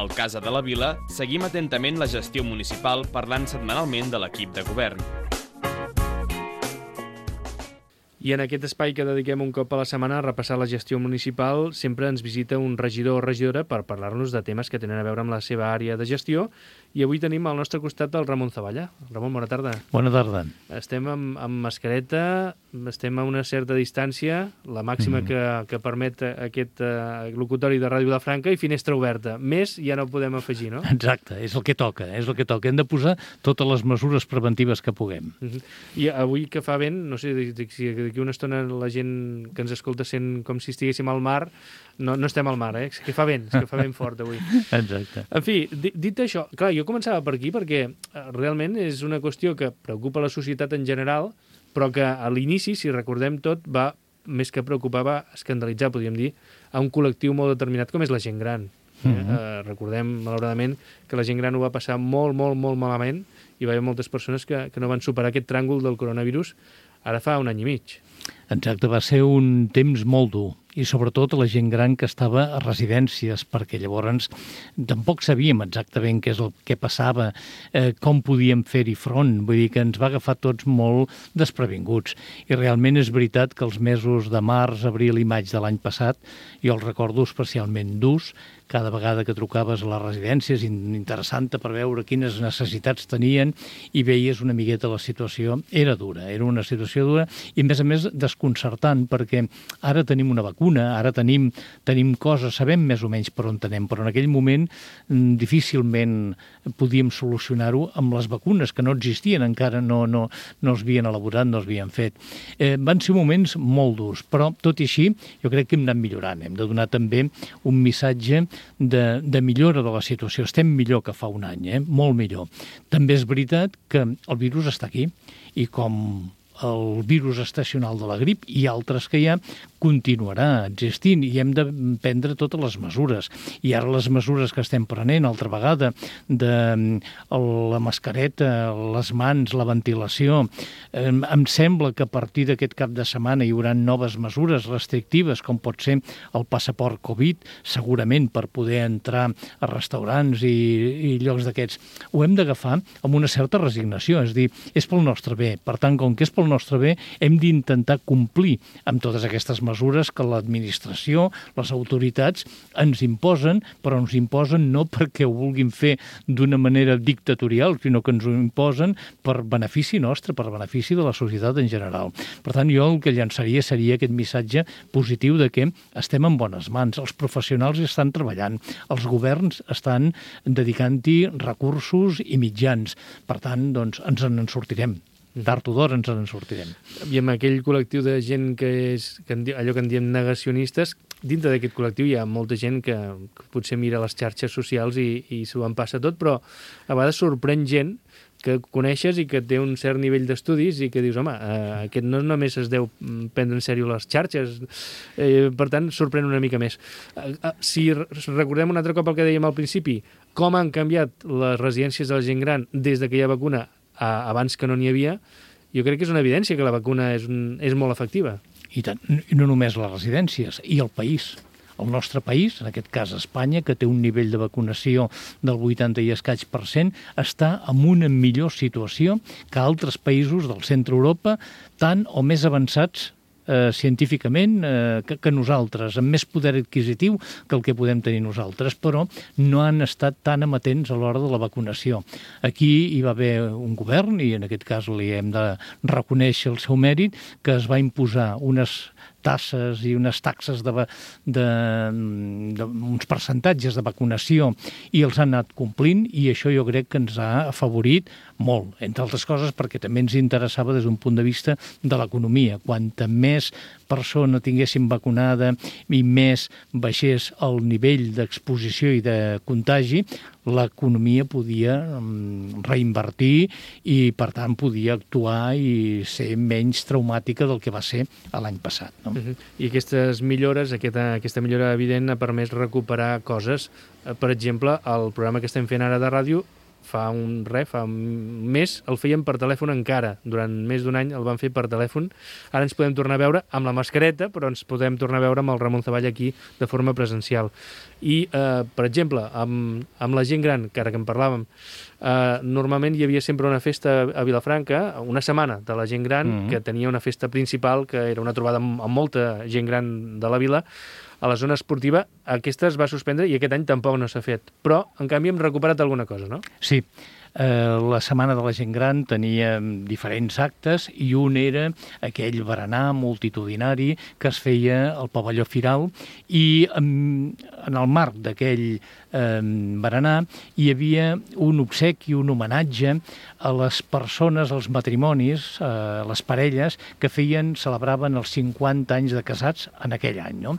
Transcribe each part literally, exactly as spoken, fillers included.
Al Casa de la Vila seguim atentament la gestió municipal parlant setmanalment de l'equip de govern. I en aquest espai que dediquem un cop a la setmana a repassar la gestió municipal sempre ens visita un regidor o regidora per parlar-nos de temes que tenen a veure amb la seva àrea de gestió, i avui tenim al nostre costat el Ramon Zavalla. Ramon, bona tarda. Bona tarda. Estem amb, amb mascareta, estem a una certa distància, la màxima mm. que, que permet aquest uh, locutori de Ràdio Vilafranca, i finestra oberta. Més ja no podem afegir, no? Exacte, és el que toca, és el que toca. Hem de posar totes les mesures preventives que puguem. Mm -hmm. I avui que fa vent, no sé si d'aquí una estona la gent que ens escolta sent com si estiguéssim al mar, no, no estem al mar, eh? És que fa vent, és que fa vent fort avui. Exacte. En fi, dit això, clar, jo començava per aquí perquè realment és una qüestió que preocupa la societat en general, però que a l'inici, si recordem tot, va, més que preocupar, va escandalitzar, podríem dir, a un col·lectiu molt determinat com és la gent gran. Eh? Uh -huh. eh, recordem, malauradament, que la gent gran ho va passar molt, molt, molt malament, i va haver moltes persones que, que no van superar aquest tràngol del coronavirus ara fa un any i mig. Exacte, va ser un temps molt dur, i sobretot la gent gran que estava a residències, perquè llavors tampoc sabíem exactament què és el que passava, eh, com podíem fer-hi front, vull dir que ens va agafar tots molt desprevinguts. I realment és veritat que els mesos de març, abril i maig de l'any passat, jo els recordo especialment durs, cada vegada que trucaves a les residències, interessant per veure quines necessitats tenien, i veies una miqueta la situació. Era dura, era una situació dura, i a més a més desconcertant, perquè ara tenim una vacuna, ara tenim, tenim coses, sabem més o menys per on anem, però en aquell moment difícilment podíem solucionar-ho amb les vacunes, que no existien encara, no, no, no es havien elaborat, no es havien fet. Eh, van ser moments molt durs, però tot i així jo crec que hem anat millorant, hem de donar també un missatge De, de millora de la situació. Estem millor que fa un any, eh? Molt millor. També és veritat que el virus està aquí, i com el virus estacional de la grip i altres que hi ha, continuarà existint, i hem de prendre totes les mesures. I ara les mesures que estem prenent, altra vegada, de la mascareta, les mans, la ventilació, eh, em sembla que a partir d'aquest cap de setmana hi haurà noves mesures restrictives, com pot ser el passaport Covid, segurament per poder entrar a restaurants i, i llocs d'aquests. Ho hem d'agafar amb una certa resignació, és dir, és pel nostre bé. Per tant, com que és pel nostre bé, hem d'intentar complir amb totes aquestes mesures que l'administració, les autoritats ens imposen, però ens imposen no perquè ho vulguin fer d'una manera dictatorial, sinó que ens ho imposen per benefici nostre, per benefici de la societat en general. Per tant, jo el que llançaria seria aquest missatge positiu de que estem en bones mans, els professionals estan treballant, els governs estan dedicant-hi recursos i mitjans. Per tant, doncs, ens en sortirem. Tard o d'hora ens en sortirem. I amb aquell col·lectiu de gent que és que en, allò que en diem negacionistes, dintre d'aquest col·lectiu hi ha molta gent que, que potser mira les xarxes socials i, i s'ho en passa tot, però a vegades sorprèn gent que coneixes i que té un cert nivell d'estudis i que dius, home, eh, aquest no només es deu prendre en sèrio les xarxes, eh, per tant, sorprèn una mica més. Eh, eh, si recordem un altre cop el que dèiem al principi, com han canviat les residències de la gent gran des de que hi ha vacuna abans que no n'hi havia, jo crec que és una evidència que la vacuna és, un, és molt efectiva. I tant, no només les residències, i el país. El nostre país, en aquest cas Espanya, que té un nivell de vacunació del vuitanta i escaig per cent, està en una millor situació que altres països del centre Europa, tant o més avançats Eh, científicament eh, que, que nosaltres, amb més poder adquisitiu que el que podem tenir nosaltres, però no han estat tan amatents a l'hora de la vacunació. Aquí hi va haver un govern, i en aquest cas li hem de reconèixer el seu mèrit, que es va imposar unes tasses i unes taxes de, de, de uns percentatges de vacunació, i els han anat complint, i això jo crec que ens ha afavorit molt, entre altres coses perquè també ens interessava des d'un punt de vista de l'economia. Quanta més persona tinguéssim vacunada i més baixés el nivell d'exposició i de contagi, l'economia podia reinvertir i, per tant, podia actuar i ser menys traumàtica del que va ser l'any passat. No? Uh-huh. I aquestes millores, aquesta, aquesta millora evident ha permès recuperar coses. Per exemple, el programa que estem fent ara de ràdio fa un res, fa un mes, el fèiem per telèfon encara. Durant més d'un any el vam fer per telèfon. Ara ens podem tornar a veure amb la mascareta, però ens podem tornar a veure amb el Ramon Zavall aquí de forma presencial. I, eh, per exemple, amb, amb la gent gran, que ara que en parlàvem, eh, normalment hi havia sempre una festa a Vilafranca, una setmana de la gent gran, mm-hmm. que tenia una festa principal, que era una trobada amb, amb molta gent gran de la vila. A la zona esportiva aquesta es va suspendre i aquest any tampoc no s'ha fet. Però, en canvi, hem recuperat alguna cosa, no? Sí. Eh, la Setmana de la Gent Gran tenia diferents actes i un era aquell berenar multitudinari que es feia al pavelló Firal i en, en el marc d'aquell eh, berenar hi havia un obsequi, un homenatge a les persones, als matrimonis, a les parelles que feien, celebraven els cinquanta anys de casats en aquell any, no?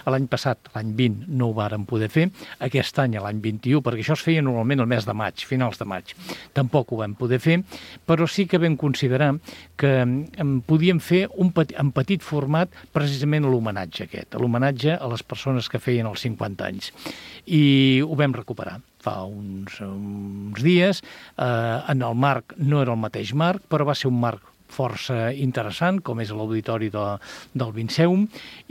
L'any passat, l'any vint, no ho vàrem poder fer, aquest any, l'any vint-i-u, perquè això es feia normalment el mes de maig, finals de maig. Tampoc ho vam poder fer, però sí que vam considerar que podíem fer un petit, en petit format precisament l'homenatge aquest, l'homenatge a les persones que feien els cinquanta anys. I ho vam recuperar fa uns, uns dies. Eh, en el marc, no era el mateix marc, però va ser un marc força interessant, com és l'auditori de, del Vinceum,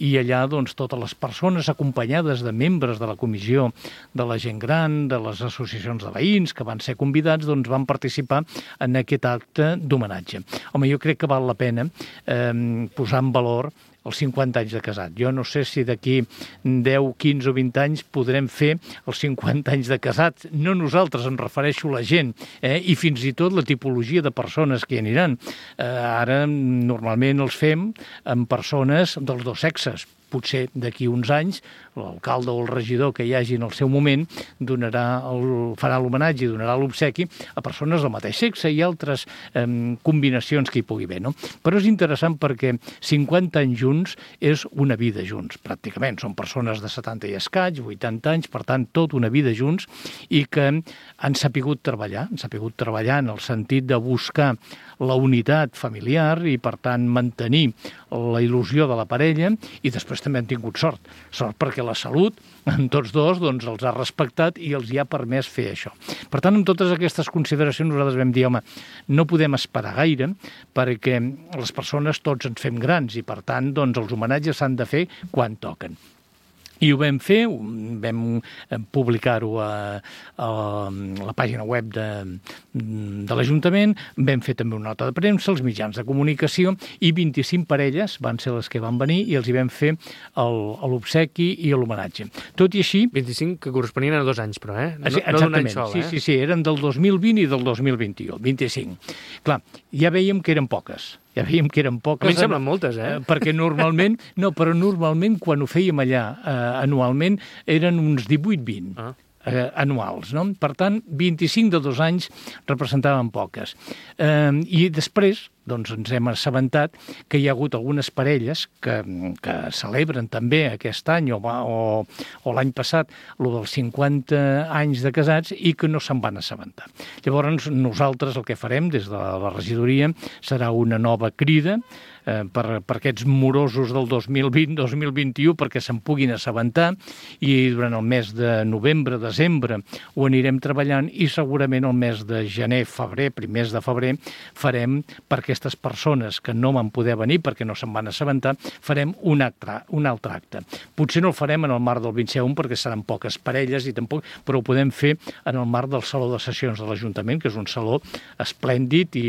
i allà doncs, totes les persones acompanyades de membres de la comissió de la gent gran, de les associacions de veïns que van ser convidats, doncs, van participar en aquest acte d'homenatge. Home, jo crec que val la pena eh, posar en valor els cinquanta anys de casat. Jo no sé si d'aquí deu, quinze o vint anys podrem fer els cinquanta anys de casat. No nosaltres, em refereixo a la gent, eh? I fins i tot la tipologia de persones que hi aniran. Eh, ara, normalment els fem amb persones dels dos sexes. Potser d'aquí uns anys l'alcalde o el regidor que hi hagi en el seu moment donarà el, farà l'homenatge i donarà l'obsequi a persones del mateix sexe i altres eh, combinacions que hi pugui haver, no? Però és interessant perquè cinquanta anys junts és una vida junts, pràcticament. Són persones de setanta i escaig, vuitanta anys, per tant, tota una vida junts i que han sapigut treballar, han sapigut treballar en el sentit de buscar la unitat familiar i, per tant, mantenir la il·lusió de la parella i després també han tingut sort. Sort perquè la salut, en tots dos, doncs, els ha respectat i els hi ha permès fer això. Per tant, amb totes aquestes consideracions nosaltres vam dir, home, no podem esperar gaire perquè les persones tots ens fem grans i, per tant, doncs, els homenatges s'han de fer quan toquen. I ho vam fer, vam publicar-ho a, a la pàgina web de, de l'Ajuntament, vam fer també una nota de premsa, els mitjans de comunicació, i vint-i-cinc parelles van ser les que van venir i els hi vam fer l'obsequi i l'homenatge. Tot i així... vint-i-cinc que corresponien a dos anys, però, eh? No, Exactament, no d'un any sol, sí, eh? sí, sí, eren del dos mil vint i del dos mil vint-i-u, vint-i-cinc. Clar, ja veiem que eren poques. Ja veiem que eren poques. A mi em semblen moltes, eh? Perquè normalment, no, però normalment quan ho fèiem allà eh, anualment eren uns divuit vint ah. eh, anuals, no? Per tant, vint-i-cinc de dos anys representaven poques. Eh, I després, doncs ens hem assabentat que hi ha hagut algunes parelles que, que celebren també aquest any o, o, o l'any passat lo dels cinquanta anys de casats i que no se'n van assabentar. Llavors nosaltres el que farem des de la regidoria serà una nova crida eh, per, per aquests morosos del dos mil vint dos mil vint-i-u perquè se'n puguin assabentar i durant el mes de novembre, desembre ho anirem treballant i segurament el mes de gener, febrer, primers de febrer farem perquè aquestes persones que no van poder venir perquè no se'n van assabentar, farem un, acte, un altre acte. Potser no el farem en el marc del Vinceum perquè seran poques parelles, i tampoc, però ho podem fer en el marc del Saló de Sessions de l'Ajuntament, que és un saló esplèndid i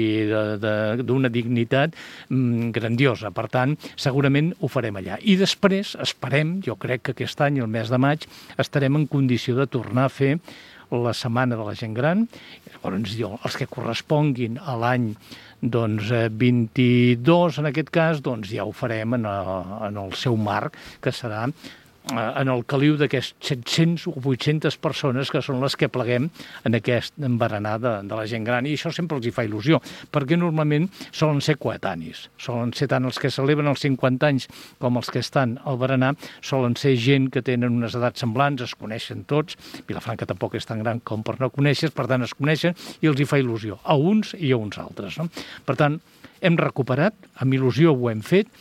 d'una dignitat mm, grandiosa. Per tant, segurament ho farem allà. I després, esperem, jo crec que aquest any, el mes de maig, estarem en condició de tornar a fer la Setmana de la Gent Gran. Llavors, jo, els que corresponguin a l'any doncs vint-i-dos, en aquest cas, doncs ja ho farem en el, en el seu marc, que serà en el caliu d'aquests set-cents o vuit-centes persones que són les que pleguem en aquest berenar de, de la gent gran. I això sempre els hi fa il·lusió, perquè normalment solen ser coetanis. Solen ser tant els que celebren els cinquanta anys com els que estan al berenar, solen ser gent que tenen unes edats semblants, es coneixen tots. Vilafranca tampoc és tan gran com per no conèixer, per tant es coneixen i els hi fa il·lusió, a uns i a uns altres, no? Per tant, hem recuperat, amb il·lusió ho hem fet,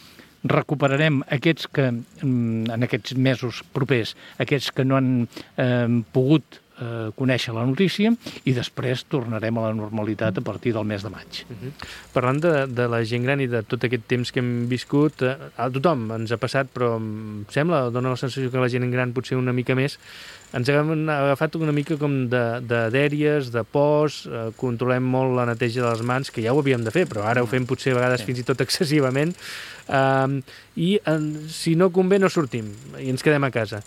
recuperarem aquests que en aquests mesos propers, aquests que no han eh, pogut eh, conèixer la notícia i després tornarem a la normalitat a partir del mes de maig. Uh-huh. Parlant de, de la gent gran i de tot aquest temps que hem viscut, eh, a tothom ens ha passat, però em sembla, dona la sensació que la gent gran potser una mica més, ens hem agafat una mica com de, de dèries, de pors, eh, controlem molt la neteja de les mans, que ja ho havíem de fer, però ara ho fem potser a vegades sí. fins i tot excessivament, eh, i en, si no convé no sortim i ens quedem a casa.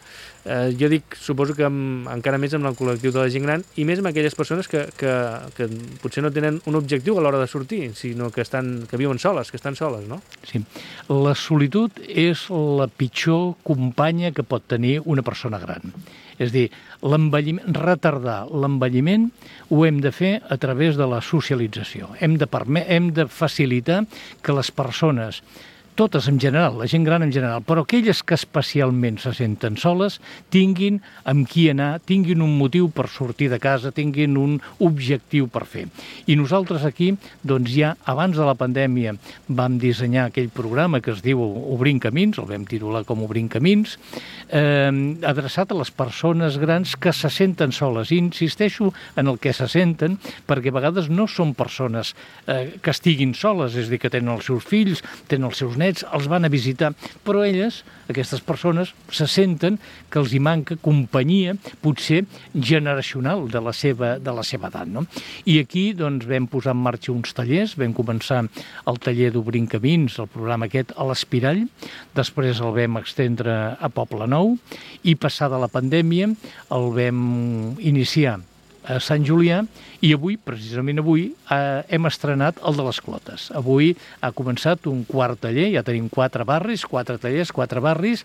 Eh, jo dic, suposo que amb, encara més amb el col·lectiu de la gent gran i més amb aquelles persones que, que, que potser no tenen un objectiu a l'hora de sortir, sinó que, estan, que viuen soles, que estan soles, no? Sí. La solitud és la pitjor companya que pot tenir una persona gran. És a dir, l'envelliment, retardar l'envelliment ho hem de fer a través de la socialització. Hem de, perme- hem de facilitar que les persones, totes en general, la gent gran en general, però aquelles que especialment se senten soles, tinguin amb qui anar, tinguin un motiu per sortir de casa, tinguin un objectiu per fer. I nosaltres aquí, doncs ja abans de la pandèmia vam dissenyar aquell programa que es diu Obrint Camins, el vam titular com Obrint Camins, eh, adreçat a les persones grans que se senten soles. I insisteixo en el que se senten, perquè a vegades no són persones eh, que estiguin soles, és a dir, que tenen els seus fills, tenen els seus nets, els van a visitar, però elles, aquestes persones, se senten que els hi manca companyia, potser generacional de la seva, de la seva edat, no? I aquí doncs, vam posar en marxa uns tallers, vam començar el taller d'Obrint Camins, el programa aquest, a l'Espirall, després el vam extendre a Poble Nou, i passada la pandèmia el vam iniciar a Sant Julià, i avui, precisament avui, eh, hem estrenat el de les Clotes. Avui ha començat un quart taller, ja tenim quatre barris, quatre tallers, quatre barris,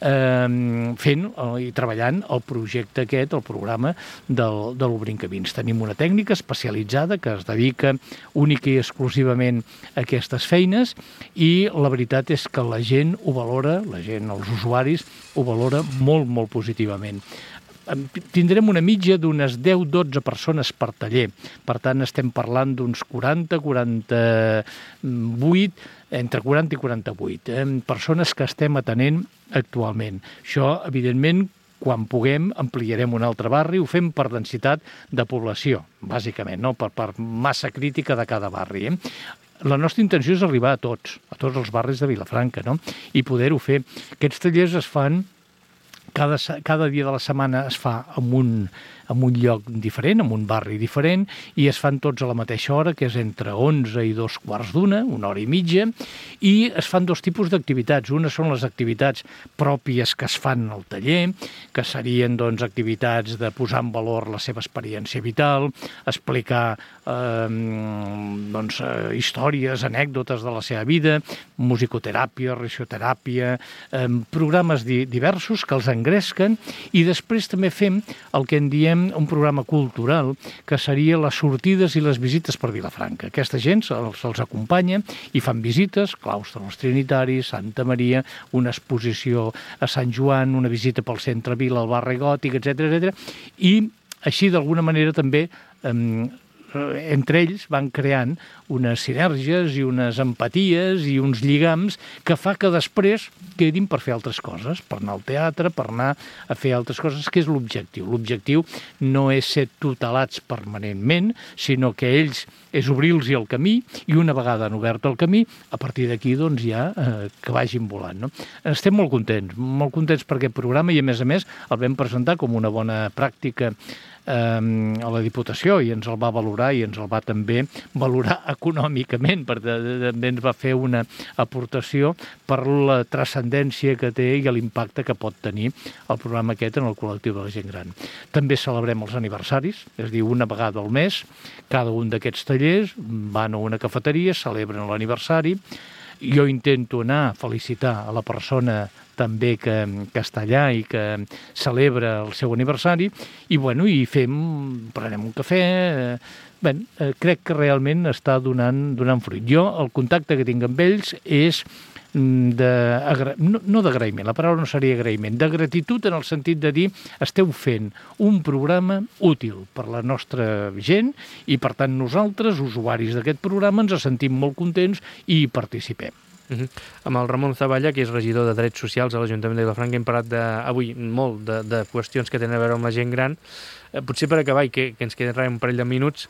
eh, fent eh, i treballant el projecte aquest, el programa del, de l'Obrint Camins. Tenim una tècnica especialitzada que es dedica única i exclusivament a aquestes feines, i la veritat és que la gent ho valora, la gent, els usuaris, ho valora molt, molt positivament. Tindrem una mitja d'unes deu dotze persones per taller. Per tant, estem parlant d'uns quaranta quaranta-vuit, entre quaranta i quaranta-vuit, eh, persones que estem atenent actualment. Això, evidentment, quan puguem, ampliarem un altre barri, ho fem per densitat de població, bàsicament, no? per, per massa crítica de cada barri. Eh? La nostra intenció és arribar a tots, a tots els barris de Vilafranca, no? I poder-ho fer. Aquests tallers es fan Cada, cada dia de la setmana es fa en un, en un lloc diferent, en un barri diferent, i es fan tots a la mateixa hora, que és entre onze i dos quarts d'una, una hora i mitja, i es fan dos tipus d'activitats. Una són les activitats pròpies que es fan al taller, que serien doncs, activitats de posar en valor la seva experiència vital, explicar eh, doncs, eh, històries, anècdotes de la seva vida, musicoteràpia, risoteràpia, eh, programes di- diversos que els engresquen, i després també fem el que en diem un programa cultural, que seria les sortides i les visites per Vilafranca. Aquesta gent se'ls, se'ls acompanya i fan visites, claustre dels Trinitaris, Santa Maria, una exposició a Sant Joan, una visita pel centre Vila, al barri gòtic, etcètera, etcètera. I així, d'alguna manera, també eh, entre ells van creant unes sinergies i unes empaties i uns lligams que fa que després quedin per fer altres coses, per anar al teatre, per anar a fer altres coses, que és l'objectiu. L'objectiu no és ser tutelats permanentment, sinó que ells és obrir-los el camí, i una vegada han obert el camí, a partir d'aquí doncs ja eh, que vagin volant. No? Estem molt contents, molt contents per aquest programa, i a més a més el vam presentar com una bona pràctica a la Diputació, i ens el va valorar, i ens el va també valorar econòmicament, perquè també ens va fer una aportació per la transcendència que té i l'impacte que pot tenir el programa aquest en el col·lectiu de la gent gran. També celebrem els aniversaris, és a dir, una vegada al mes, cada un d'aquests tallers van a una cafeteria, celebren l'aniversari. Jo intento anar a felicitar a la persona també que, que està allà i que celebra el seu aniversari, i bueno, i fem, prenem un cafè. Bé, crec que realment està donant, donant fruit. Jo, el contacte que tinc amb ells és de, no, no d'agraïment, la paraula no seria agraïment, de gratitud, en el sentit de dir esteu fent un programa útil per la nostra gent, i per tant nosaltres, usuaris d'aquest programa, ens sentim molt contents i hi participem. Uh-huh. Amb el Ramon Zavalla, que és regidor de Drets Socials a l'Ajuntament de Vilafranca, hem parlat de, avui molt de, de qüestions que tenen a veure amb la gent gran. Eh, potser per acabar, i que, que ens queden un parell de minuts,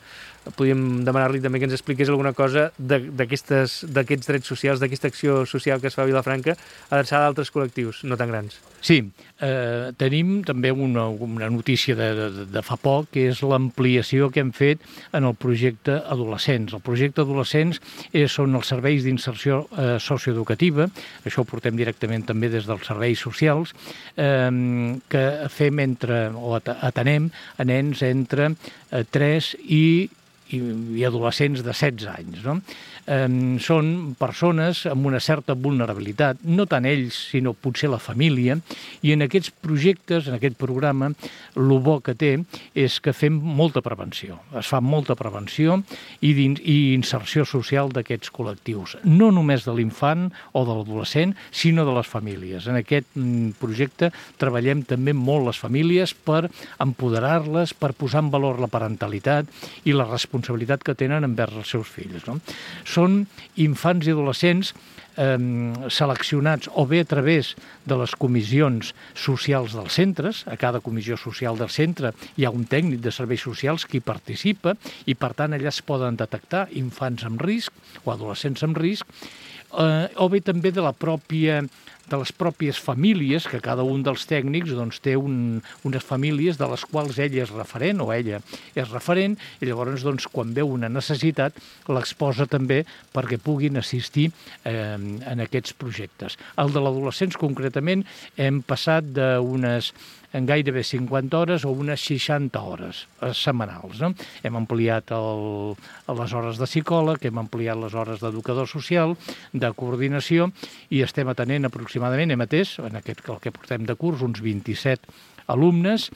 podríem demanar-li també que ens expliqués alguna cosa d'aquests drets socials, d'aquesta acció social que es fa a Vilafranca, adreçada a altres col·lectius, no tan grans. Sí, eh, tenim també una, una notícia de, de, de fa poc, que és l'ampliació que hem fet en el projecte Adolescents. El projecte Adolescents és, són els serveis d'inserció eh, socioeducativa, això ho portem directament també des dels serveis socials, eh, que fem entre, o atenem a nens entre eh, tres i i adolescents de setze anys. No? Eh, són persones amb una certa vulnerabilitat, no tant ells, sinó potser la família, i en aquests projectes, en aquest programa, el bo que té és que fem molta prevenció. Es fa molta prevenció i, i inserció social d'aquests col·lectius, no només de l'infant o de l'adolescent, sinó de les famílies. En aquest projecte treballem també molt les famílies per empoderar-les, per posar en valor la parentalitat i la responsabilitat responsabilitat que tenen envers els seus fills. No? Són infants i adolescents eh, seleccionats o bé a través de les comissions socials dels centres. A cada comissió social del centre hi ha un tècnic de serveis socials que hi participa i, per tant, allà es poden detectar infants amb risc o adolescents amb risc, eh, o bé també de la pròpia de les pròpies famílies, que cada un dels tècnics doncs, té un, unes famílies de les quals ell és referent o ella és referent, i llavors doncs, quan veu una necessitat l'exposa també perquè puguin assistir eh, en aquests projectes. El de l'adolescents concretament hem passat d'unes en gairebé cinquanta hores o unes seixanta hores setmanals. No? Hem ampliat el, les hores de psicòleg, hem ampliat les hores d'educador social, de coordinació, i estem atenent aproximadament, hem atès, en aquest, el que portem de curs, uns vint-i-set alumnes,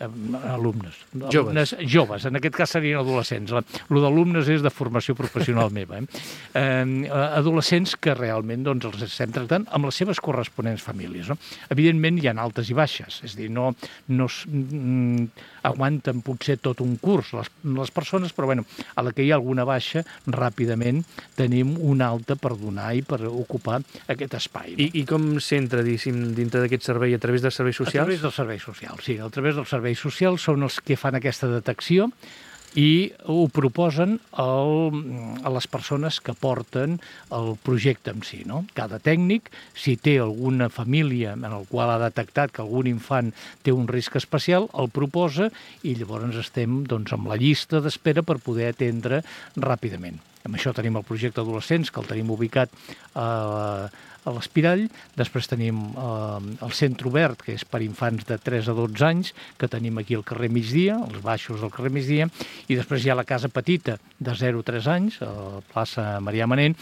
alumnes, alumnes joves. joves, en aquest cas serien adolescents. El d'alumnes és de formació professional meva. Eh? Eh, adolescents que realment doncs, els estem tractant amb les seves corresponents famílies. No? Evidentment hi ha altes i baixes, és a dir, no, no mm, aguanten potser tot un curs les, les persones, però bueno, a la que hi ha alguna baixa, ràpidament tenim una alta per donar i per ocupar aquest espai. No? I, I com s'entra, dintre d'aquest servei, a través dels serveis socials? A través dels serveis socials, sí, a través dels serveis socials són els que fan aquesta detecció i ho proposen el, a les persones que porten el projecte en si. No? Cada tècnic, si té alguna família en la qual ha detectat que algun infant té un risc especial, el proposa i llavors estem doncs, amb la llista d'espera per poder atendre ràpidament. Amb això tenim el projecte Adolescents, que el tenim ubicat a, a l'Espirall. Després tenim eh, el Centre Obert, que és per infants de tres a dotze anys, que tenim aquí al carrer Migdia, als baixos del carrer Migdia, i després hi ha la Casa Petita, de zero a tres anys, a la plaça Marià Manent,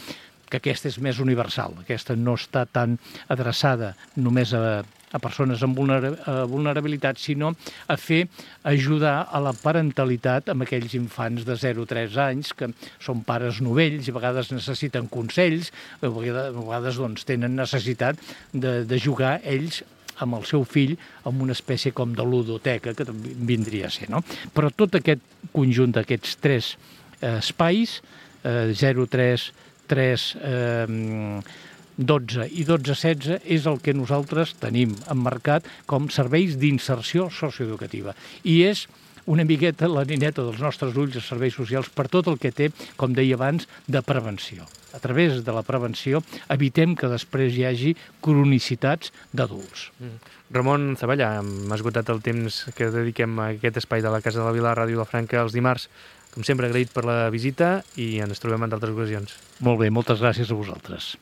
que aquesta és més universal. Aquesta no està tan adreçada només a a persones amb vulnerabilitat, sinó a fer ajudar a la parentalitat amb aquells infants de zero a tres anys que són pares novells i a vegades necessiten consells, a vegades, a vegades doncs, tenen necessitat de, de jugar ells amb el seu fill amb una espècie com de ludoteca, que també vindria a ser. No? Però tot aquest conjunt d'aquests tres eh, espais, eh, zero a tres, tres... Eh, dotze i dotze a setze és el que nosaltres tenim emmarcat com serveis d'inserció socioeducativa. I és una miqueta la nineta dels nostres ulls de serveis socials per tot el que té, com deia abans, de prevenció. A través de la prevenció evitem que després hi hagi cronicitats d'adults. Mm. Ramon Zaballà, hem esgotat el temps que dediquem a aquest espai de la Casa de la Vila, Ràdio Vilafranca, els dimarts. Com sempre, agraït per la visita i ens trobem en d'altres ocasions. Molt bé, moltes gràcies a vosaltres.